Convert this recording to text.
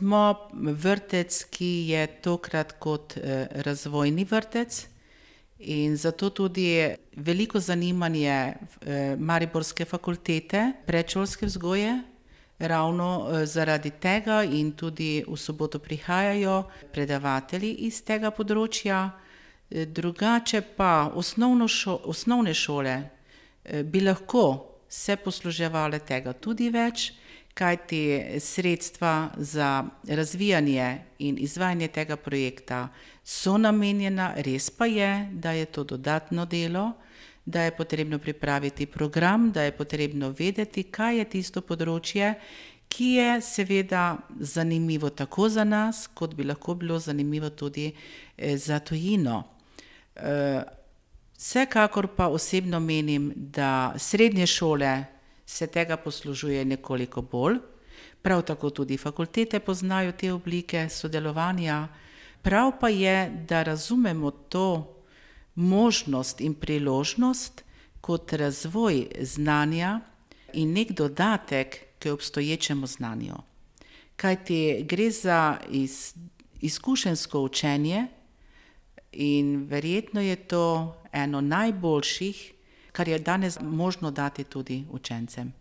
smo vrtec, ki je tokrat kot razvojni vrtec in zato tudi veliko zanimanje mariborske fakultete predšolske vzgoje. Ravno zaradi tega in tudi v soboto prihajajo predavatelji iz tega področja. Drugače pa osnovne šole bi lahko se posluževale tega tudi več, kajti sredstva za razvijanje in izvajanje tega projekta so namenjena, res pa je, da je to dodatno delo, da je potrebno pripraviti program, da je potrebno vedeti, kaj je tisto področje, ki je seveda zanimivo tako za nas, kot bi lahko bilo zanimivo tudi za tujino. Vsekakor pa osebno menim, da srednje šole se tega poslužuje nekoliko bolj, prav tako tudi fakultete poznajo te oblike sodelovanja. Prav pa je, da razumemo to možnost in priložnost kot razvoj znanja in nek dodatek k obstoječemu znanju. Kajti gre za izkušenjsko učenje in verjetno je to eno najboljših, kar je danes možno dati tudi učencem.